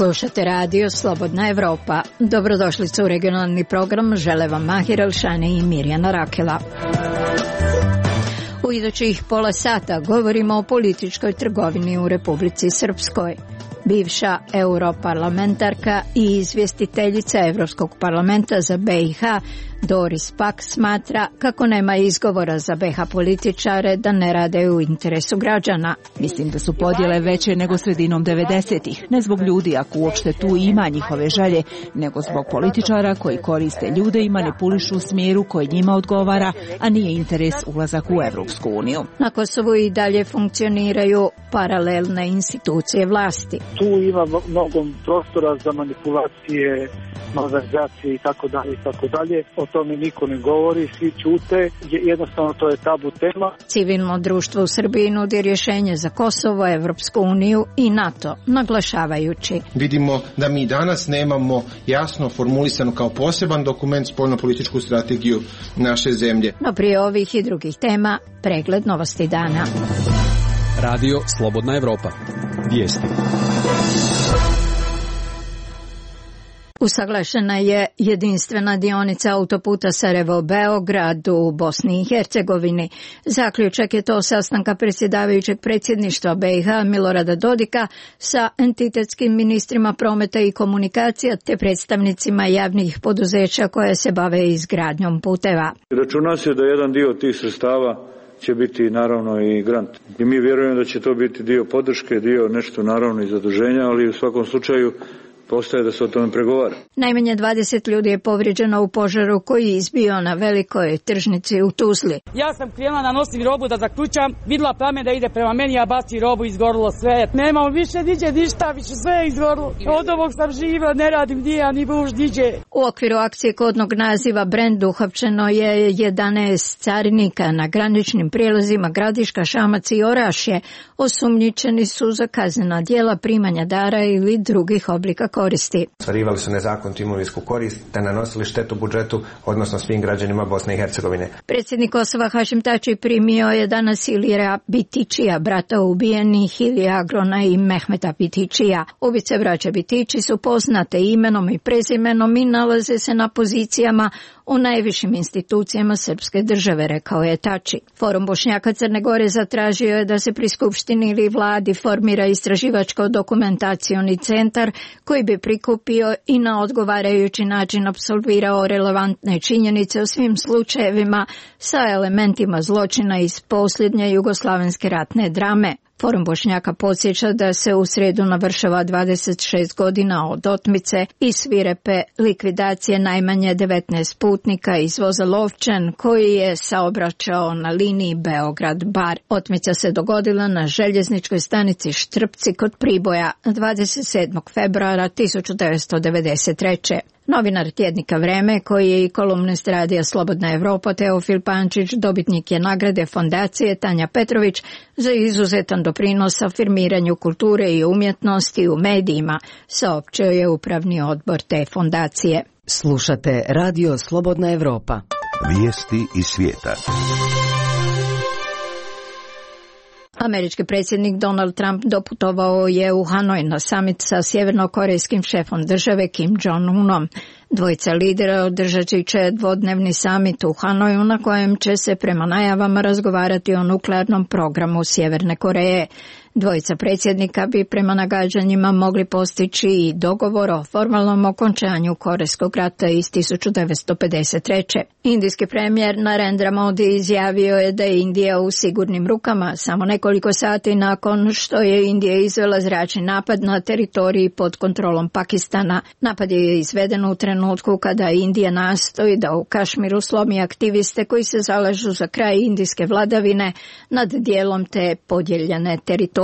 Slušate radio Slobodna Evropa. Dobrodošlicu u regionalni program, žele vam Mahir Elšani i Mirjana Rakela. U idućih pola sata govorimo o političkoj trgovini u Republici Srpskoj. Bivša europarlamentarka i izvjestiteljica Evropskog parlamenta za BiH Doris Pack smatra kako nema izgovora za BiH političare da ne rade u interesu građana. Mislim da su podjele veće nego sredinom 90-ih, ne zbog ljudi ako uopšte tu ima njihove želje, nego zbog političara koji koriste ljude i manipulišu u smjeru koji njima odgovara, a nije interes ulazak u Evropsku uniju. Na Kosovu i dalje funkcioniraju paralelne institucije vlasti. Tu ima mnogo prostora za manipulacije, malverzacije i tako dalje. O tome niko ne govori, svi ćute, jednostavno to je tabu tema. Civilno društvo u Srbiji nudi rješenje za Kosovo, Evropsku uniju i NATO, naglašavajući. Vidimo da mi danas nemamo jasno formulisanu kao poseban dokument spoljnopolitičku strategiju naše zemlje. No prije ovih i drugih tema, pregled novosti dana. Radio Slobodna Evropa. Vijesti. Usaglašena je jedinstvena dionica autoputa Sarajevo-Beograd u Bosni i Hercegovini. Zaključak je to sastanka predsjedavajućeg predsjedništva BiH Milorada Dodika sa entitetskim ministrima prometa i komunikacija te predstavnicima javnih poduzeća koje se bave izgradnjom puteva. Računa se da jedan dio tih sredstava će biti naravno i grant. I mi vjerujemo da će to biti dio podrške, dio nešto naravno i zaduženja, ali u svakom slučaju postaje da se o tome pregovara. Najmanje 20 ljudi je povrijeđeno u požaru koji je izbio na velikoj tržnici u Tuzli. Ja sam krenula da nosim robu da zaključam, vidjela plamen da ide prema meni, ja baci robu, izgorilo sve. Nemamo više niđe ništa, više sve je izgorilo. Od ovog sam živa, ne radim gdje, a ni buš niđe. U okviru akcije kodnog naziva Brend uhapšeno je 11 carinika na graničnim prijelazima Gradiška, Šamac i Orašje. Osumnjičeni su za kaznena djela primanja dara ili drugih oblika koristi. Ostvarivali su nezakonitu imovinsku korist te nanosili štetu budžetu, odnosno svim građanima Bosne i Hercegovine. Predsjednik Kosova Hašim Tači primio je danas Ilira Bitičija, brata ubijenih Ilija Agrona i Mehmeta Bitičija. Ubice braća Bitići su poznate imenom i prezimenom i nalaze se na pozicijama u najvišim institucijama srpske države, rekao je Tači. Forum Bošnjaka Crne Gore zatražio je da se pri Skupštini ili vladi formira istraživačko-dokumentacioni centar koji bi prikupio i na odgovarajući način apsolvirao relevantne činjenice o svim slučajevima sa elementima zločina iz posljednje jugoslavenske ratne drame. Forum Bošnjaka podsjeća da se u srijedu navršava 26 godina od otmice i svirepe likvidacije najmanje 19 putnika iz voza Lovčen koji je saobraćao na liniji Beograd-Bar. Otmica se dogodila na željezničkoj stanici Štrpci kod Priboja 27. februara 1993. Novinar tjednika Vreme, koji je i kolumnist radija Slobodna Evropa, Teofil Pančić, dobitnik je nagrade fondacije Tanja Petrović za izuzetan doprinos afirmiranju kulture i umjetnosti u medijima, saopćio je upravni odbor te fondacije. Slušate radio Slobodna Evropa. Vijesti iz svijeta. Američki predsjednik Donald Trump doputovao je u Hanoj na samit sa sjevernokorejskim šefom države Kim Jong-unom. Dvojica lidera održat će dvodnevni samit u Hanoju na kojem će se prema najavama razgovarati o nuklearnom programu Sjeverne Koreje. Dvojica predsjednika bi prema nagađanjima mogli postići i dogovor o formalnom okončanju Korejskog rata iz 1953. Indijski premijer Narendra Modi izjavio je da je Indija u sigurnim rukama samo nekoliko sati nakon što je Indija izvela zračni napad na teritoriji pod kontrolom Pakistana. Napad je izveden u trenutku kada Indija nastoji da u Kašmiru slomi aktiviste koji se zalažu za kraj indijske vladavine nad dijelom te podijeljene teritorije.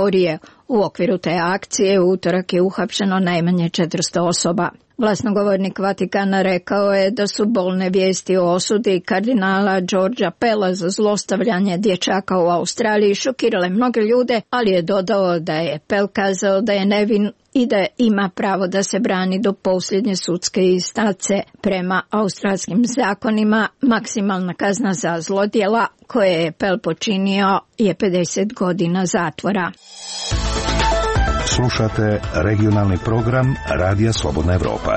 U okviru te akcije u utorak je uhapšeno najmanje 400 osoba. Glasnogovornik Vatikana rekao je da su bolne vijesti o osudi kardinala Georgea Pella za zlostavljanje dječaka u Australiji šokirale mnoge ljude, ali je dodao da je Pell kazao da je nevin i da ima pravo da se brani do posljednje sudske instance. Prema australskim zakonima maksimalna kazna za zlodjela koje je Pell počinio je 50 godina zatvora. Slušate regionalni program Radija Slobodna Evropa.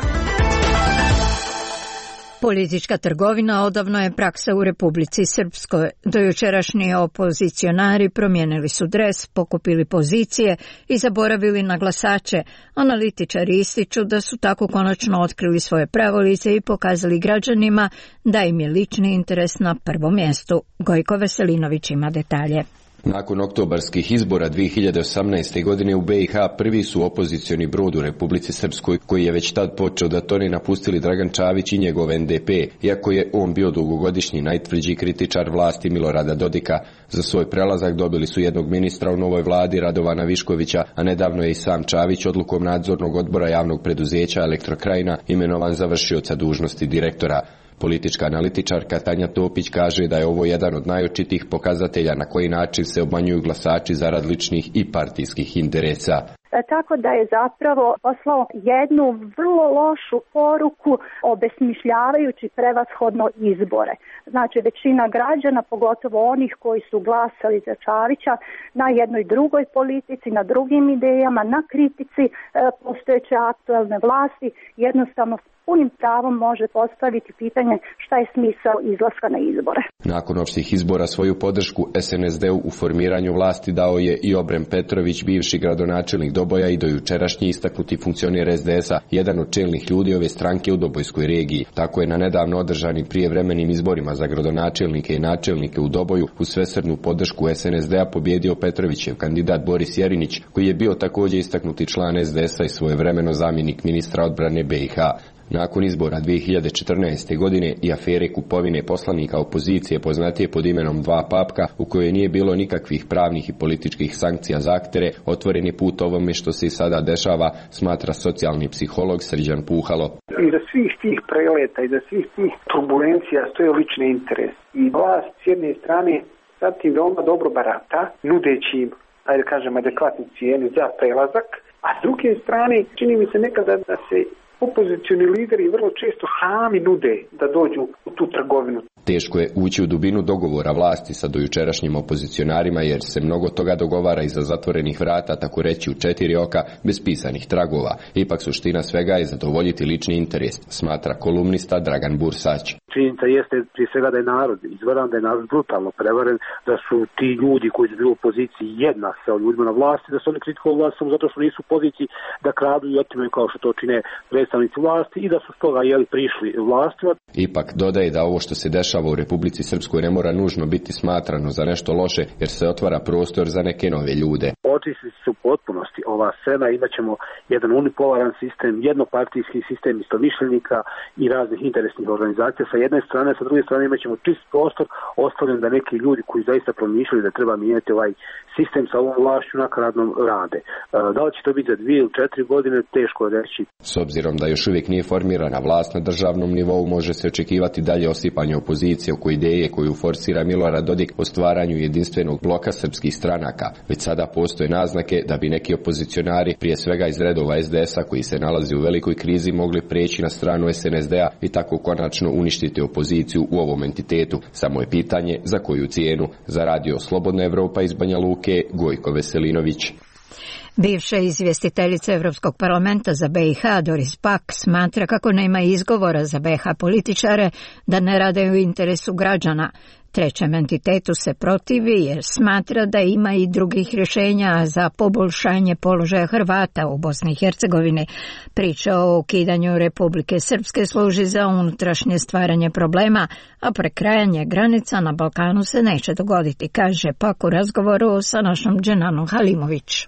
Politička trgovina odavno je praksa u Republici Srpskoj. Dojučerašnji opozicionari promijenili su dres, pokupili pozicije i zaboravili na glasače. Analitičari ističu da su tako konačno otkrili svoje pravo lice i pokazali građanima da im je lični interes na prvom mjestu. Gojko Veselinović ima detalje. Nakon oktobarskih izbora 2018. godine u BiH prvi su opozicioni brod u Republici Srpskoj, koji je već tad počeo da tone, napustili Dragan Čavić i njegov NDP, iako je on bio dugogodišnji najtvrđi kritičar vlasti Milorada Dodika. Za svoj prelazak dobili su jednog ministra u novoj vladi, Radovana Viškovića, a nedavno je i sam Čavić odlukom nadzornog odbora javnog preduzeća Elektrokrajina imenovan za vršioca dužnosti direktora. Politička analitičarka Tanja Topić kaže da je ovo jedan od najočitijih pokazatelja na koji način se obmanjuju glasači zarad ličnih i partijskih interesa. Tako da je zapravo poslao jednu vrlo lošu poruku obesmišljavajući prevashodno izbore. Znači većina građana, pogotovo onih koji su glasali za Čavića, na jednoj drugoj politici, na drugim idejama, na kritici postojeće aktualne vlasti, jednostavno punim pravom može postaviti pitanje šta je smisao izlaska na izbore. Nakon opštih izbora svoju podršku SNSD-u u formiranju vlasti dao je i Obrem Petrović, bivši gradonačelnik Doboja i dojučerašnji istaknuti funkcioner SDS-a, jedan od čelnih ljudi ove stranke u Dobojskoj regiji. Tako je na nedavno održanim prijevremenim izborima za gradonačelnike i načelnike u Doboju uz svesrdnu podršku SNSD-a pobjedio Petrovićev kandidat Boris Jerinić, koji je bio također istaknuti član SDS-a i svojevremeno zamjenik ministra odbrane BiH. Nakon izbora 2014. godine i afere kupovine poslanika opozicije poznatije pod imenom Dva papka, u kojoj nije bilo nikakvih pravnih i političkih sankcija za aktere, otvoren je put ovome što se i sada dešava, smatra socijalni psiholog Srđan Puhalo. Iza svih tih preleta, iza svih tih turbulencija stoje lični interes. I vlast s jedne strane sad tim veoma dobro barata, nudeći im, ajde kažem, adekvatnu cijenu za prelazak, a s druge strane čini mi se nekada da se opozicioni lideri vrlo često sami nude da dođu u tu trgovinu. Teško je ući u dubinu dogovora vlasti sa dojučerašnjim opozicionarima jer se mnogo toga dogovara iza zatvorenih vrata, tako reći u 4 oka, bez pisanih tragova. Ipak suština svega je zadovoljiti lični interes, smatra kolumnista Dragan Bursać. Činjenica jeste prije svega da je narod izvaran, da je narod brutalno prevaren, da su ti ljudi koji su bili u opoziciji jednak sa ljudima na vlasti, da su oni kritikovali vlast samo zato što nisu u poziciji da kradu i otimaju kao što to čine predstavnici vlasti i da su stoga prišli vlastima. Ipak dodaje da ovo što se dešava u Republici Srpskoj ne mora nužno biti smatrano za nešto loše jer se otvara prostor za neke nove ljude. Očistiti se u potpunosti ova scena, imat ćemo jedan unipolaran sistem, jednopartijski sistem istomišljenika i raznih interesnih organizacija sa jedne strane, sa druge strane imat ćemo čist prostor ostavljen da neki ljudi koji zaista promišljaju da treba mijenjati ovaj sistem sa ovom vlašću nakaradnom rade. Da li će to biti za 2 ili 4 godine, teško je reći. S obzirom da još uvijek nije formirana vlast na državnom nivou, može se očekivati dalje osipanje opozicije oko ideje koju forsira Milorad Dodik o stvaranju jedinstvenog bloka srpskih stranaka. Već sada postoje naznake da bi neki opozicionari, prije svega iz redova SDS-a koji se nalazi u velikoj krizi, mogli preći na stranu SNSD-a i tako konačno uništiti opoziciju u ovom entitetu. Samo je pitanje za koju cijenu. Za Radio Slobodna Evropa iz Banja Luke, Gojko Veselinović. Bivša izvjestiteljica Europskog parlamenta za BiH Doris Pack smatra kako nema izgovora za BiH političare da ne rade u interesu građana. Trećem entitetu se protivi jer smatra da ima i drugih rješenja za poboljšanje položaja Hrvata u Bosni i Hercegovini. Priča o ukidanju Republike Srpske služi za unutrašnje stvaranje problema, a prekrajanje granica na Balkanu se neće dogoditi, kaže Pak u razgovoru sa našom Dženanom Halimović.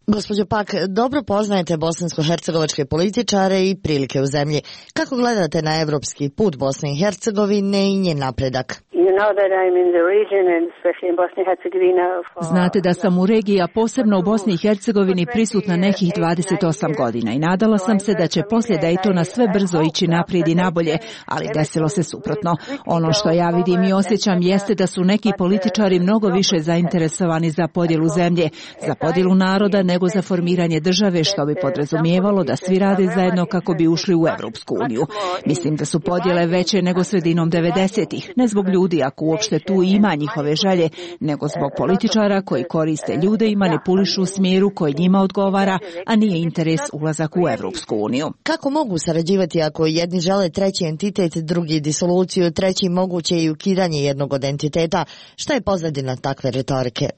Gospođo Pak, dobro poznajete bosansko-hercegovačke političare i prilike u zemlji. Kako gledate na evropski put Bosne i Hercegovine i njen napredak? Znate da sam u regiji, a posebno u Bosni i Hercegovini, prisutna nekih 28 godina i nadala sam se da će poslije Daytona sve brzo ići naprijed i nabolje, ali desilo se suprotno. Ono što ja vidim i osjećam jeste da su neki političari mnogo više zainteresovani za podjelu zemlje, za podjelu naroda nego za formiranje države, što bi podrazumijevalo da svi rade zajedno kako bi ušli u Europsku uniju. Mislim da su podjele veće nego sredinom 90-ih, ne zbog ljudi ljudi, ako uopšte tu ima njihove želje, nego zbog političara koji koriste ljude i manipulišu u smjeru koji njima odgovara, a nije interes ulazak u Evropsku uniju. Kako mogu sarađivati ako jedni žele treći entitet, drugi disoluciju, treći moguće i ukidanje jednog od entiteta? Šta je pozadina takve retorike?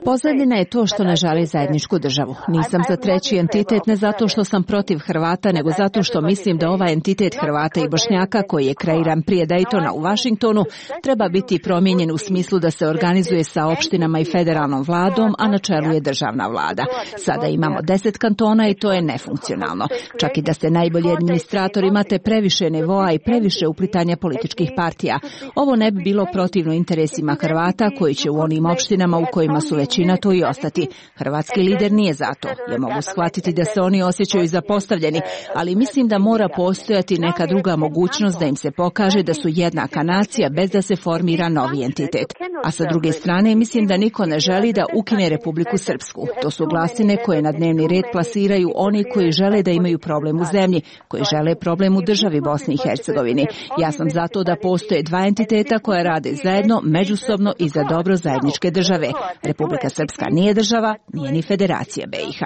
Pozadina je to što ne žele zajedničku državu. Nisam za treći entitet ne zato što sam protiv Hrvata, nego zato što mislim da ovaj entitet Hrvata i Bošnjaka koji je kreiran prije Daytona u Vašingtonu treba biti promijenjen u smislu da se organizuje sa opštinama i federalnom vladom, a na čelu je državna vlada. Sada imamo 10 kantona i to je nefunkcionalno. Čak i da ste najbolji administrator, imate previše nivoa i previše uplitanja političkih partija. Ovo ne bi bilo protivno interesima Hrvata koji će u onim opštinama u kojima su većina to i ostati. Hrvatski lider nije za to. Ja mogu shvatiti da se oni osjećaju zapostavljeni, ali mislim da mora postojati neka druga mogućnost da im se pokaže da su jednaka nacija bez da se formira novi entitet. A sa druge strane, mislim da niko ne želi da ukine Republiku Srpsku. To su glasine koje na dnevni red plasiraju oni koji žele da imaju problem u zemlji, koji žele problem u državi Bosni i Hercegovini. Ja sam zato da postoje dva entiteta koja rade zajedno, međusobno i za dobro zajedničke države. Republika Srpska nije država, nije ni Federacija BiH.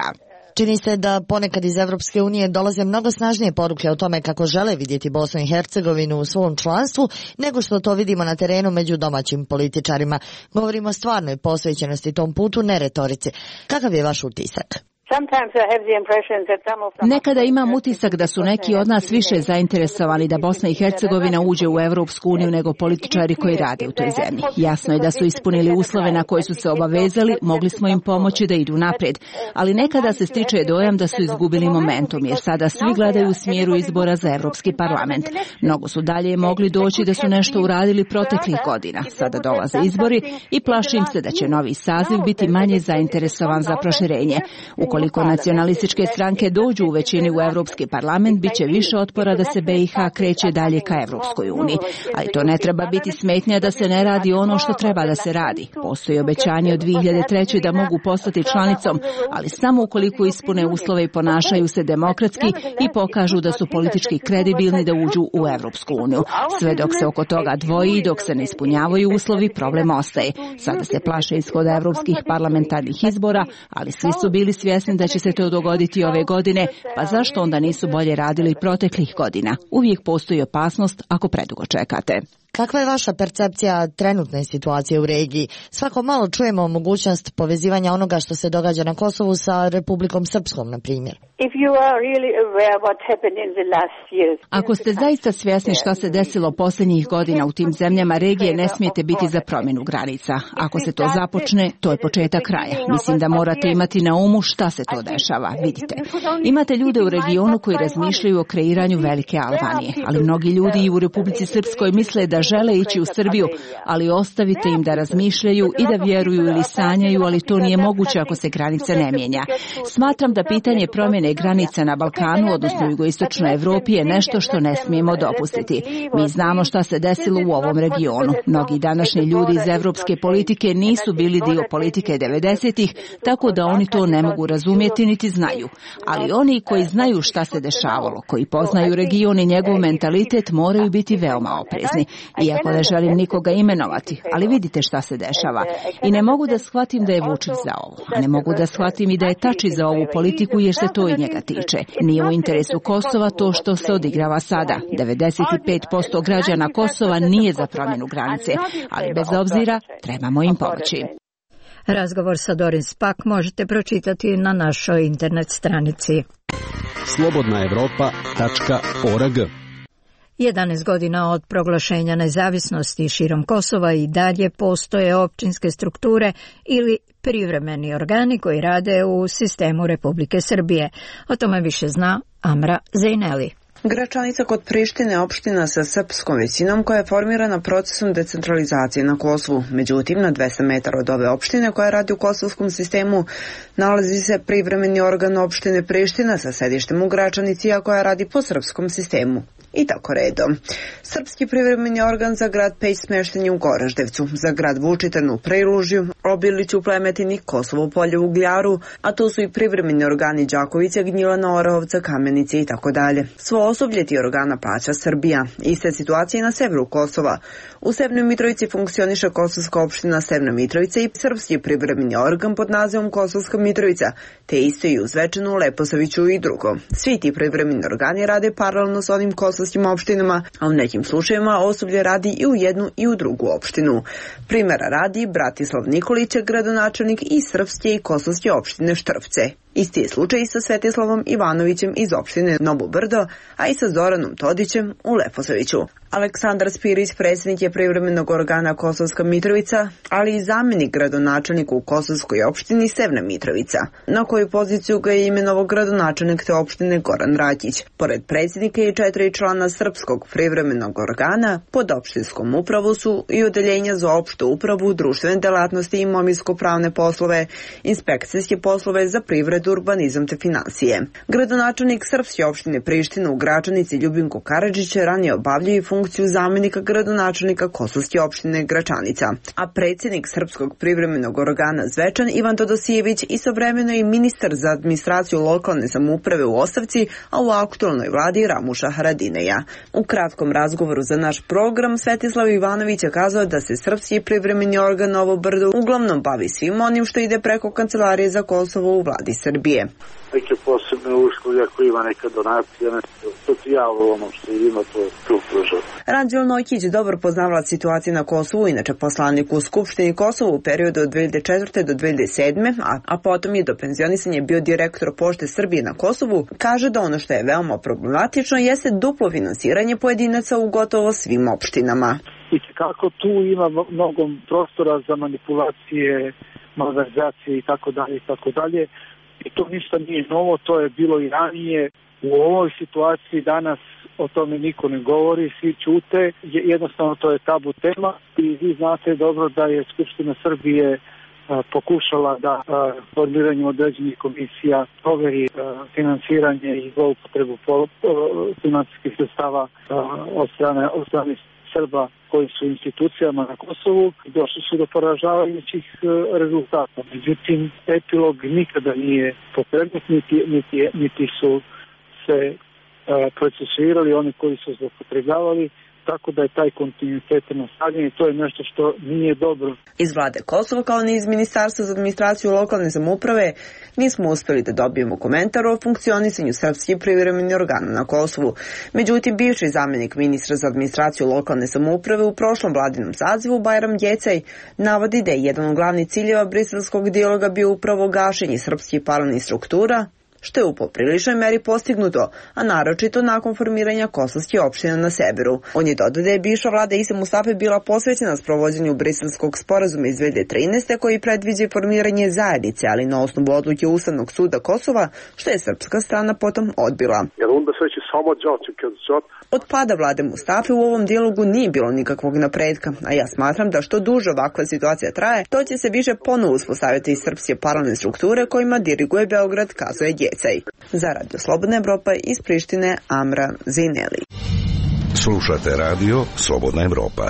Čini se da ponekad iz Evropske unije dolaze mnogo snažnije poruke o tome kako žele vidjeti Bosnu i Hercegovinu u svom članstvu, nego što to vidimo na terenu među domaćim političarima. Govorimo o stvarnoj posvećenosti tom putu, ne retorici. Kakav je vaš utisak? Nekada imam utisak da su neki od nas više zainteresovani da Bosna i Hercegovina uđe u Evropsku uniju nego političari koji rade u toj zemlji. Jasno je da su ispunili uslove na koje su se obavezali, mogli smo im pomoći da idu naprijed, ali nekada se stiče dojam da su izgubili momentum, jer sada svi gledaju u smjeru izbora za Evropski parlament. Mnogo su dalje mogli doći da su nešto uradili proteklih godina. Sada dolaze izbori i plašim se da će novi saziv biti manje zainteresovan za proširenje. Ukoliko nacionalističke stranke dođu u većini u Evropski parlament, bit će više otpora da se BiH kreće dalje ka Evropskoj uniji. Ali to ne treba biti smetnja da se ne radi ono što treba da se radi. Postoji obećanje od 2003. da mogu postati članicom, ali samo ukoliko ispune uslove i ponašaju se demokratski i pokažu da su politički kredibilni da uđu u Evropsku uniju. Sve dok se oko toga dvoji i dok se ne ispunjavaju uslovi, problem ostaje. Sada se plaše ishoda evropskih parlamentarnih izbora, ali svi su bili svjesni da će se to dogoditi ove godine, pa zašto onda nisu bolje radili proteklih godina? Uvijek postoji opasnost ako predugo čekate. Kakva je vaša percepcija trenutne situacije u regiji? Svako malo čujemo mogućnost povezivanja onoga što se događa na Kosovu sa Republikom Srpskom, na primjer. Ako ste zaista svjesni šta se desilo posljednjih godina u tim zemljama regije, ne smijete biti za promjenu granica. Ako se to započne, to je početak kraja. Mislim da morate imati na umu šta se to dešava. Vidite, imate ljude u regionu koji razmišljaju o kreiranju velike Albanije, ali mnogi ljudi i u Republici Srpskoj misle da žele ići u Srbiju, ali ostavite im da razmišljaju i da vjeruju ili sanjaju, ali to nije moguće ako se granica ne mijenja. Smatram da pitanje promjene granica na Balkanu, odnosno u jugoistočnoj Evropi, je nešto što ne smijemo dopustiti. Mi znamo šta se desilo u ovom regionu. Mnogi današnji ljudi iz evropske politike nisu bili dio politike 90-ih, tako da oni to ne mogu razumjeti niti znaju. Ali oni koji znaju šta se dešavalo, koji poznaju region i njegov mentalitet, moraju biti veoma oprezni. Iako ne želim nikoga imenovati, ali vidite šta se dešava. I ne mogu da shvatim da je Vučić za ovo, a ne mogu da shvatim i da je Tači za ovu politiku jer se to i njega tiče. Nije u interesu Kosova to što se odigrava sada. 95% građana Kosova nije za promjenu granice, ali bez obzira trebamo im pomoći. Razgovor sa Doris Spak možete pročitati na našoj internet stranici. slobodnaevropa.org 11 godina od proglašenja nezavisnosti širom Kosova i dalje postoje općinske strukture ili privremeni organi koji rade u sistemu Republike Srbije. O tome više zna Amra Zejneli. Gračanica kod Prištine je opština sa srpskom većinom koja je formirana procesom decentralizacije na Kosovu. Međutim, na 200 metara od ove opštine koja radi u kosovskom sistemu nalazi se privremeni organ opštine Priština sa sedištem u Gračanici, a koja radi po srpskom sistemu. i tako redom. Srpski privremeni organ za grad Peć smešten je u Goraždevcu, za grad Vučitrn u Prelužju, Obiliću, Plemetini, Kosovo Polje u Ugljaru, a tu su i privremeni organi Đakovića, Gnjilana, Orahovca, Kamenice i tako dalje. Svo osoblje ti organa plaća Srbija. Iste situacije na severu Kosova. U Severnoj Mitrovici funkcioniše Kosovska opština Severna Mitrovica i srpski privremeni organ pod nazivom Kosovska Mitrovica, te isto i u Zvečanu, Leposaviću i drugo. Svi ti privremeni organi rade paralelno s onim kosovskim opštinama, a u nekim slučajevima osoblje radi i u jednu i u drugu opštinu. Primjera radi Bratislav Nikolić, gradonačelnik i srpske i kosovske opštine Štrpce. Isti je slučaj i sa Svetislavom Ivanovićem iz opštine Novo Brdo, a i sa Zoranom Todićem u Leposaviću. Aleksandar Spirić, predsjednik je privremenog organa Kosovska Mitrovica, ali i zamjenik gradonačelnika u Kosovskoj opštini Severna Mitrovica, na koju poziciju ga je imenovao gradonačelnik te opštine Goran Rakić. Pored predsjednika i 4 člana srpskog privremenog organa, pod opštinskom upravu su i odeljenja za opštu upravu, društvene delatnosti i imovinsko-pravne poslove, inspekcijske poslove za privredu, urbanizam te finansije. Gradonačelnik srpske opštine Priština u Gračanici Ljubinko Karadžić ranije obavljao i funkciju zamjenika gradonačelnika Kosovske opštine Gračanica, a predsjednik srpskog privremenog organa Zvečan Ivan Todosijević istovremeno i ministar za administraciju lokalne samouprave u ostavci, a u aktualnoj vladi Ramuša Haradineja. U kratkom razgovoru za naš program Svetislav Ivanović je kazao da se srpski privremeni organ Novo Brdo uglavnom bavi svim onim što ide preko Kancelarije za Kosovo u vladi Srbije. Neke posebne usluge, ako ima neka donacija, socijalo, ono što ima, to pruža. Ranđel Nojkić, dobar poznavalac situacije na Kosovu, inače poslanik u Skupštini Kosova u periodu od 2004. do 2007. a potom je do penzionisanja bio direktor Pošte Srbije na Kosovu, kaže da ono što je veoma problematično jeste duplo finansiranje pojedinaca u gotovo svim opštinama. I kako tu ima mnogo prostora za manipulacije, malverzacije i tako dalje. I to ništa nije novo, to je bilo i ranije. U ovoj situaciji danas o tome niko ne govori, svi ćute, jednostavno to je tabu tema i vi znate dobro da je Skupština Srbije pokušala da formiranjem određenih komisija proveri finansiranje i zloupotrebu financijskih sredstava od strane Srba koji su institucijama na Kosovu, došli su do poražavajućih rezultata. Međutim, epilog nikada nije pokrenut, niti su se procesuirali oni koji su zloupotrebljavali, tako da je taj kontinuitet nastavljen i to je nešto što nije dobro. Iz vlade Kosova, kao ni iz Ministarstva za administraciju lokalne samouprave, nismo uspjeli da dobijemo komentar o funkcionisanju srpskih privremenih organa na Kosovu. Međutim, bivši zamjenik ministra za administraciju lokalne samouprave u prošlom vladinom sazivu, Bajram Gjecaj, navodi da je jedan od glavnih ciljeva briselskog dijaloga bio upravo gašenje srpskih paralelnih struktura, što je u popriličnoj meri postignuto, a naročito nakon formiranja kosovskih opština na severu. On je dodao da je bivša vlada Ise Mustafe bila posvećena sprovođenju briselskog sporazuma iz 2013. koji predviđa formiranje zajednice, ali na osnovu odluke Ustavnog suda Kosova, što je srpska strana potom odbila. Od pada vlade Mustafe u ovom dijalogu nije bilo nikakvog napredka, a ja smatram da što duže ovakva situacija traje, to će se više ponovo uspostaviti iz srpske paralelne strukture kojima diriguje Beograd, kazuje Gjecaj. Za Radio Slobodna Evropa iz Prištine, Amra Zineli. Slušate Radio Slobodna Evropa.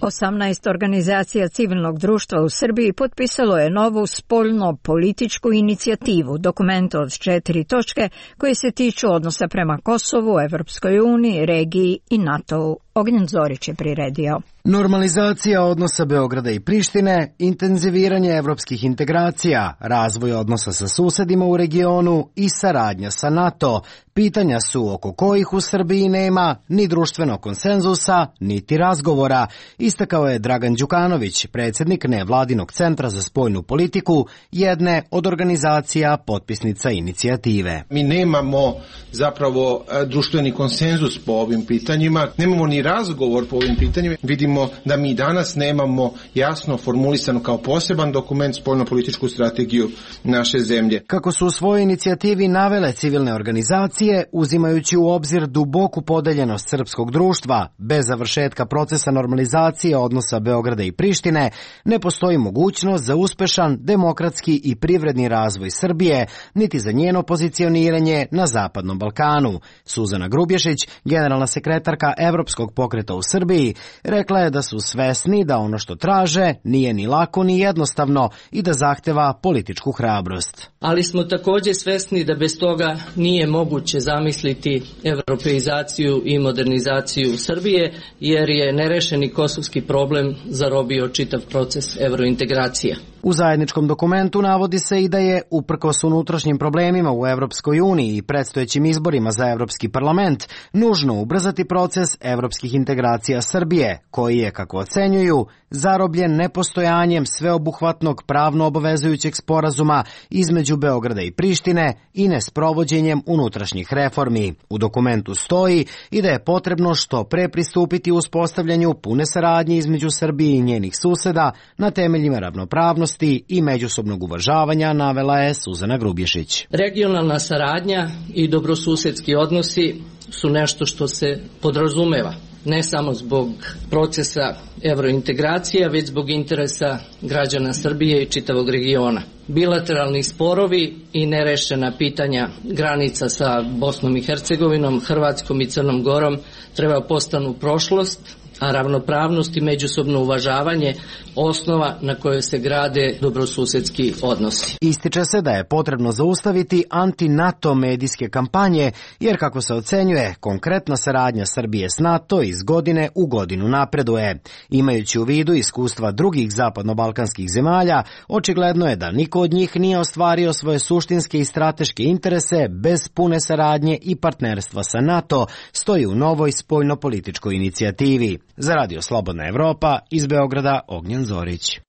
18 organizacija civilnog društva u Srbiji potpisalo je novu spoljno-političku inicijativu, dokument od 4 točke koje se tiču odnosa prema Kosovu, Evropskoj uniji, regiji i NATO-u. Ognjen Zorić je priredio. Normalizacija odnosa Beograda i Prištine, intenziviranje evropskih integracija, razvoj odnosa sa susedima u regionu i saradnja sa NATO, pitanja su oko kojih u Srbiji nema ni društvenog konsenzusa, niti razgovora, istakao je Dragan Đukanović, predsjednik nevladinog centra za spoljnu politiku, jedne od organizacija potpisnica inicijative. Mi nemamo zapravo društveni konsenzus po ovim pitanjima, nemamo ni razgovor po ovim pitanjima. Vidimo da mi danas nemamo jasno formulisano kao poseban dokument spoljnopolitičku strategiju naše zemlje. Kako su u svojoj inicijativi navele civilne organizacije, uzimajući u obzir duboku podeljenost srpskog društva, bez završetka procesa normalizacije odnosa Beograda i Prištine, ne postoji mogućnost za uspešan demokratski i privredni razvoj Srbije, niti za njeno pozicioniranje na Zapadnom Balkanu. Suzana Grubješić, generalna sekretarka Evropskog pokreta u Srbiji, rekla je da su svesni da ono što traže nije ni lako ni jednostavno i da zahteva političku hrabrost. Ali smo također svesni da bez toga nije moguće zamisliti evropeizaciju i modernizaciju Srbije, jer je nerešeni kosovski problem zarobio čitav proces evrointegracija. U zajedničkom dokumentu navodi se i da je, uprkos unutrašnjim problemima u Evropskoj uniji i predstojećim izborima za Evropski parlament, nužno ubrzati proces evropskih integracija Srbije, koji je, kako ocenjuju, zarobljen nepostojanjem sveobuhvatnog pravno obavezujućeg sporazuma između Beograda i Prištine i nesprovođenjem unutrašnjih reformi. U dokumentu stoji i da je potrebno što pre pristupiti uspostavljanju pune saradnje između Srbije i njenih suseda na temeljima ravnopravnosti i međusobnog uvažavanja, navela je Suzana Grubješić. Regionalna saradnja i dobrosusedski odnosi su nešto što se podrazumeva, ne samo zbog procesa evrointegracija, već zbog interesa građana Srbije i čitavog regiona. Bilateralni sporovi i nerešena pitanja granica sa Bosnom i Hercegovinom, Hrvatskom i Crnom Gorom treba postanu prošlost, a ravnopravnost i međusobno uvažavanje osnova na kojoj se grade dobrosusedski odnosi. Ističe se da je potrebno zaustaviti anti-NATO medijske kampanje, jer kako se ocenjuje, konkretna saradnja Srbije s NATO iz godine u godinu napreduje. Imajući u vidu iskustva drugih zapadno-balkanskih zemalja, očigledno je da niko od njih nije ostvario svoje suštinske i strateške interese bez pune saradnje i partnerstva sa NATO, stoji u novoj spoljnopolitičkoj inicijativi. Za Radio Slobodna Evropa, iz Beograda, Ognjen Zorić.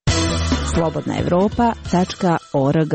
slobodnaevropa.org.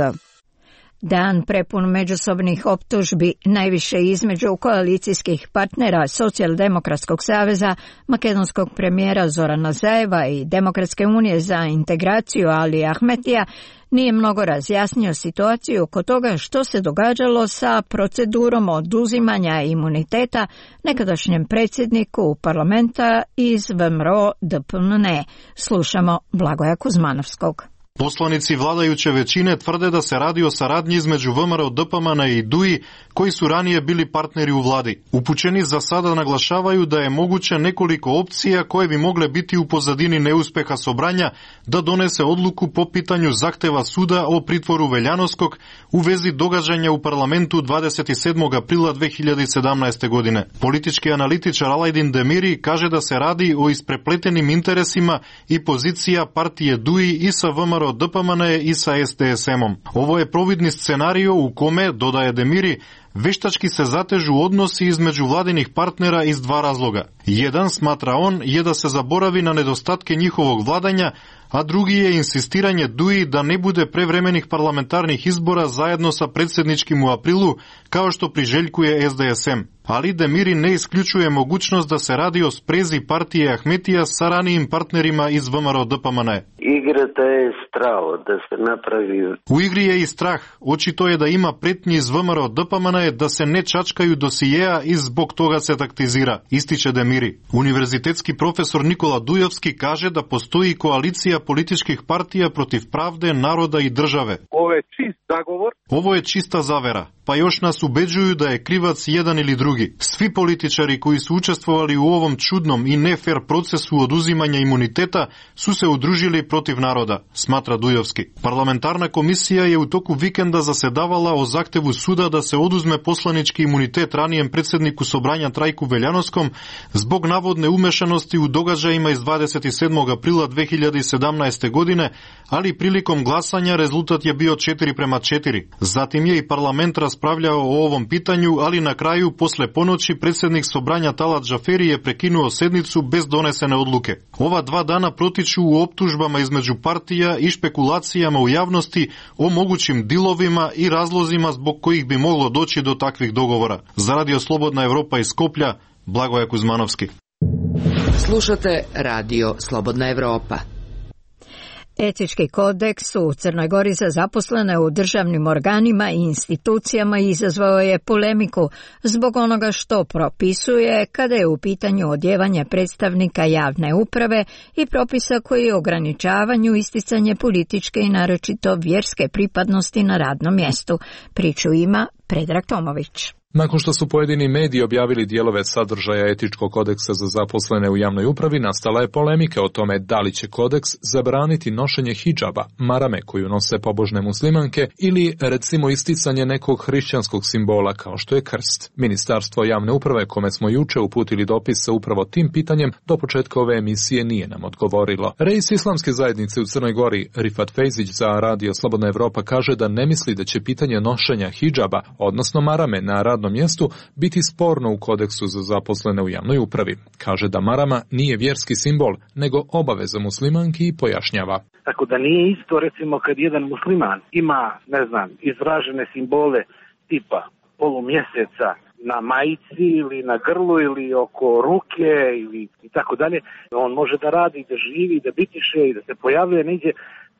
Dan prepun međusobnih optužbi, najviše između koalicijskih partnera Socijaldemokratskog saveza, makedonskog premijera Zorana Zajeva i Demokratske unije za integraciju Ali Ahmetija, nije mnogo razjasnio situaciju oko toga što se događalo sa procedurom oduzimanja imuniteta nekadašnjem predsjedniku parlamenta iz VMRO DPMN. Slušamo Blagoja Kuzmanovskog. Poslanici vladajuće većine tvrde da se radi o saradnji između VMRO DPMN i DUI, koji su ranije bili partneri u vladi. Upućeni za sada naglašavaju da je moguće nekoliko opcija koje bi mogle biti u pozadini neuspeha Sobranja da donese odluku po pitanju zahteva suda o pritvoru Veljanovskog u vezi događanja u parlamentu 27. aprila 2017. godine. Politički analitičar Alajdin Demiri kaže da se radi o isprepletenim interesima i pozicija partije DUI i sa VMRO DPMN i sa SDSM-om. Ovo je providni scenario u kome, dodaje Demiri, veštački se zatežu odnosi između vladinih partnera iz dva razloga. Jedan, smatra on, je da se zaboravi na nedostatke njihovog vladanja, a drugi je insistiranje DUI da ne bude prevremenih parlamentarnih izbora zajedno sa predsjedničkim u aprilu, kao što priželjkuje SDSM. Ali Demiri ne isključuje mogućnost da se radi o sprezi partije Ahmetija sa ranijim partnerima iz VMRO DPMN. Igrata je strao da se napravi... U igri je i strah. Očito je da ima pretnji iz VMRO DPMN da se ne čačkaju dosijeja i zbog toga se taktizira, ističe Demiri. Univerzitetski profesor Nikola Dujovski kaže da postoji koalicija političkih partija protiv pravde, naroda i države. Ovo je čist zagovor. Ovo je čista zavera. Pa još nas ubeđuju da je krivac jedan ili drugi. Svi političari koji su učestvovali u ovom čudnom i nefer procesu oduzimanja imuniteta su se udružili protiv naroda, smatra Dujovski. Parlamentarna komisija je u toku vikenda zasedavala o zahtevu suda da se oduzme poslanički imunitet ranijem predsjedniku Sobranja Trajku Veljanovskom zbog navodne umešanosti u događajima iz 27. aprila 2017. godine, ali prilikom glasanja rezultat je bio 4:4. Zatim je i parlament raspravljao o ovom pitanju, ali na kraju, posle ponoći, predsjednik Sobranja Talat Džaferi je prekinuo sednicu bez donesene odluke. Ova 2 dana protiču u optužbama između partija i špekulacijama u javnosti o mogućim dilovima i razlozima zbog kojih bi moglo doći do takvih dogovora. Za Radio Slobodna Evropa iz Skoplja, Blagoje Kuzmanovski. Slušate Radio Slobodna Evropa. Etički kodeks u Crnoj Gori za zaposlene u državnim organima i institucijama izazvao je polemiku zbog onoga što propisuje kada je u pitanju odjevanje predstavnika javne uprave i propisa koji ograničavanju isticanje političke i naročito vjerske pripadnosti na radnom mjestu. Priču ima Predrag Tomović. Nakon što su pojedini mediji objavili dijelove sadržaja etičkog kodeksa za zaposlene u javnoj upravi, nastala je polemika o tome da li će kodeks zabraniti nošenje hidžaba, marame koju nose pobožne muslimanke, ili recimo isticanje nekog hrišćanskog simbola kao što je krst. Ministarstvo javne uprave, kome smo juče uputili dopis sa upravo tim pitanjem, do početka ove emisije nije nam odgovorilo. Reis islamske zajednice u Crnoj Gori, Rifat Fejzić, za Radio Slobodna Evropa kaže da ne misli da će pitanje nošenja hidžaba, odnosno marame na radnom mjestu, biti sporno u kodeksu za zaposlene u javnoj upravi. Kaže da marama nije vjerski simbol, nego obaveza muslimanki i pojašnjava. Tako da nije isto, recimo, kad jedan musliman ima, izražene simbole tipa polumjeseca na majici ili na grlu ili oko ruke ili i tako dalje, on može da radi, da živi, da bitiše i da se pojavljuje negdje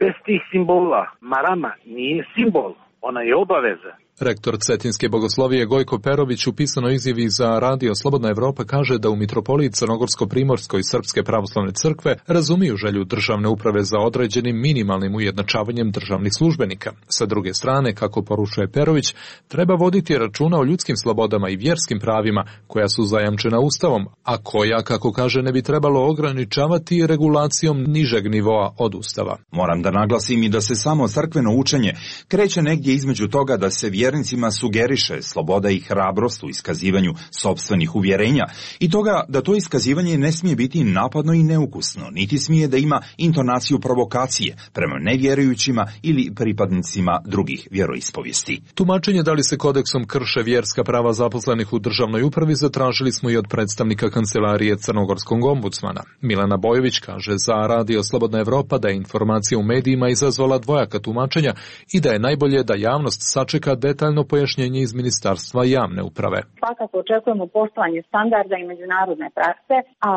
bez tih simbola. Marama nije simbol, ona je obaveza. Rektor Cetinske bogoslovije Gojko Perović u pisanoj izjavi za Radio Slobodna Evropa kaže da u mitropoliji Crnogorsko-Primorskoj Srpske pravoslavne crkve razumiju želju državne uprave za određenim minimalnim ujednačavanjem državnih službenika. Sa druge strane, kako poručuje Perović, treba voditi računa o ljudskim slobodama i vjerskim pravima koja su zajamčena Ustavom, a koja, kako kaže, ne bi trebalo ograničavati regulacijom nižeg nivoa od Ustava. Moram da naglasim i da se samo crkveno učenje kreće negdje između toga da se vjernicima sugeriše sloboda i hrabrost u iskazivanju sopstvenih uvjerenja i toga da to iskazivanje ne smije biti napadno i neukusno, niti smije da ima intonaciju provokacije prema nevjerujućima ili pripadnicima drugih vjeroispovijesti. Tumačenje da li se kodeksom krše vjerska prava zaposlenih u državnoj upravi zatražili smo i od predstavnika kancelarije Crnogorskog ombudsmana. Milana Bojović kaže za Radio Slobodna Evropa da je informacija u medijima izazvala dvojaka tumačenja i da je najbolje da javnost sačeka detaljno pojašnjenje iz Ministarstva javne uprave. Svakako očekujemo poštovanje standarda i međunarodne prakse, a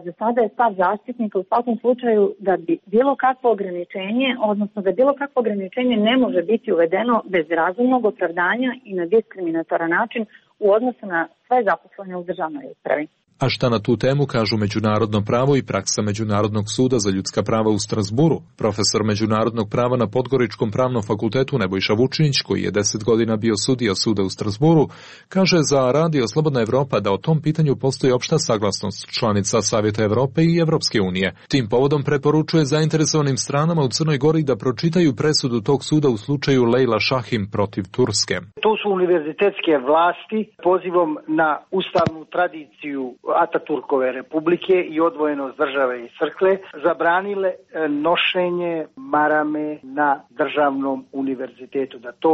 za sada je stav zaštitnika u svakom slučaju da bi bilo kakvo ograničenje, odnosno da bilo kakvo ograničenje ne može biti uvedeno bez razumnog opravdanja i na diskriminatoran način u odnosu na sve zaposlene u državnoj upravi. A šta na tu temu kažu međunarodno pravo i praksa Međunarodnog suda za ljudska prava u Strasburu? Profesor međunarodnog prava na Podgoričkom pravnom fakultetu Nebojša Vučinić, koji je 10 godina bio sudija suda u Strasburu, kaže za Radio Slobodna Evropa da o tom pitanju postoji opšta saglasnost članica Savjeta Evrope i Evropske unije. Tim povodom preporučuje zainteresovanim stranama u Crnoj Gori da pročitaju presudu tog suda u slučaju Lejla Šahim protiv Turske. To su univerzitetske vlasti pozivom na ustavnu tradiciju Ataturkove republike i odvojenost države i crkve zabranile nošenje marame na državnom univerzitetu, da to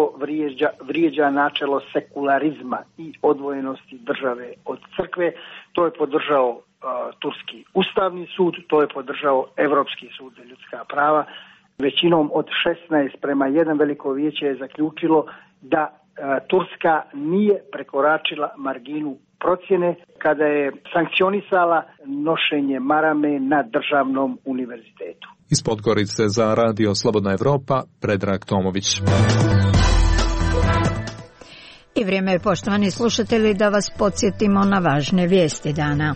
vrijeđa načelo sekularizma i odvojenosti države od crkve. To je podržao Turski ustavni sud, to je podržao Evropski sud za ljudska prava. Većinom od 16:1 veliko vijeće je zaključilo da Turska nije prekoračila marginu procjene kada je sankcionisala nošenje marame na državnom univerzitetu. Iz Podgorice za Radio Slobodna Evropa, Predrag Tomović. I vrijeme je, poštovani slušatelji, da vas podsjetimo na važne vijesti dana.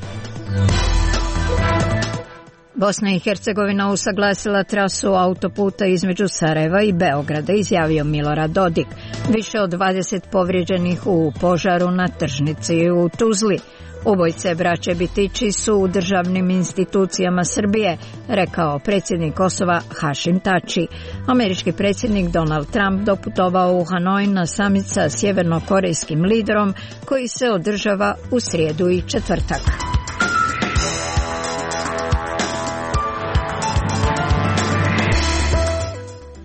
Bosna i Hercegovina usaglasila trasu autoputa između Sarajeva i Beograda, izjavio Milorad Dodik. Više od 20 povrijeđenih u požaru na tržnici u Tuzli. Ubojice braće Bitići su u državnim institucijama Srbije, rekao predsjednik Kosova Hašim Tači. Američki predsjednik Donald Trump doputovao u Hanoj na samit sa sjevernokorejskim liderom koji se održava u srijedu i četvrtak.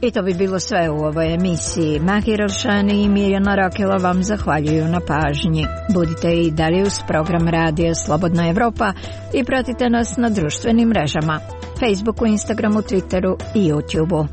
I to bi bilo sve u ovoj emisiji. Mahir Alšani i Mirjana Rakela vam zahvaljuju na pažnji. Budite i dalje uz program Radija Slobodna Evropa i pratite nas na društvenim mrežama, Facebooku, Instagramu, Twitteru i YouTubeu.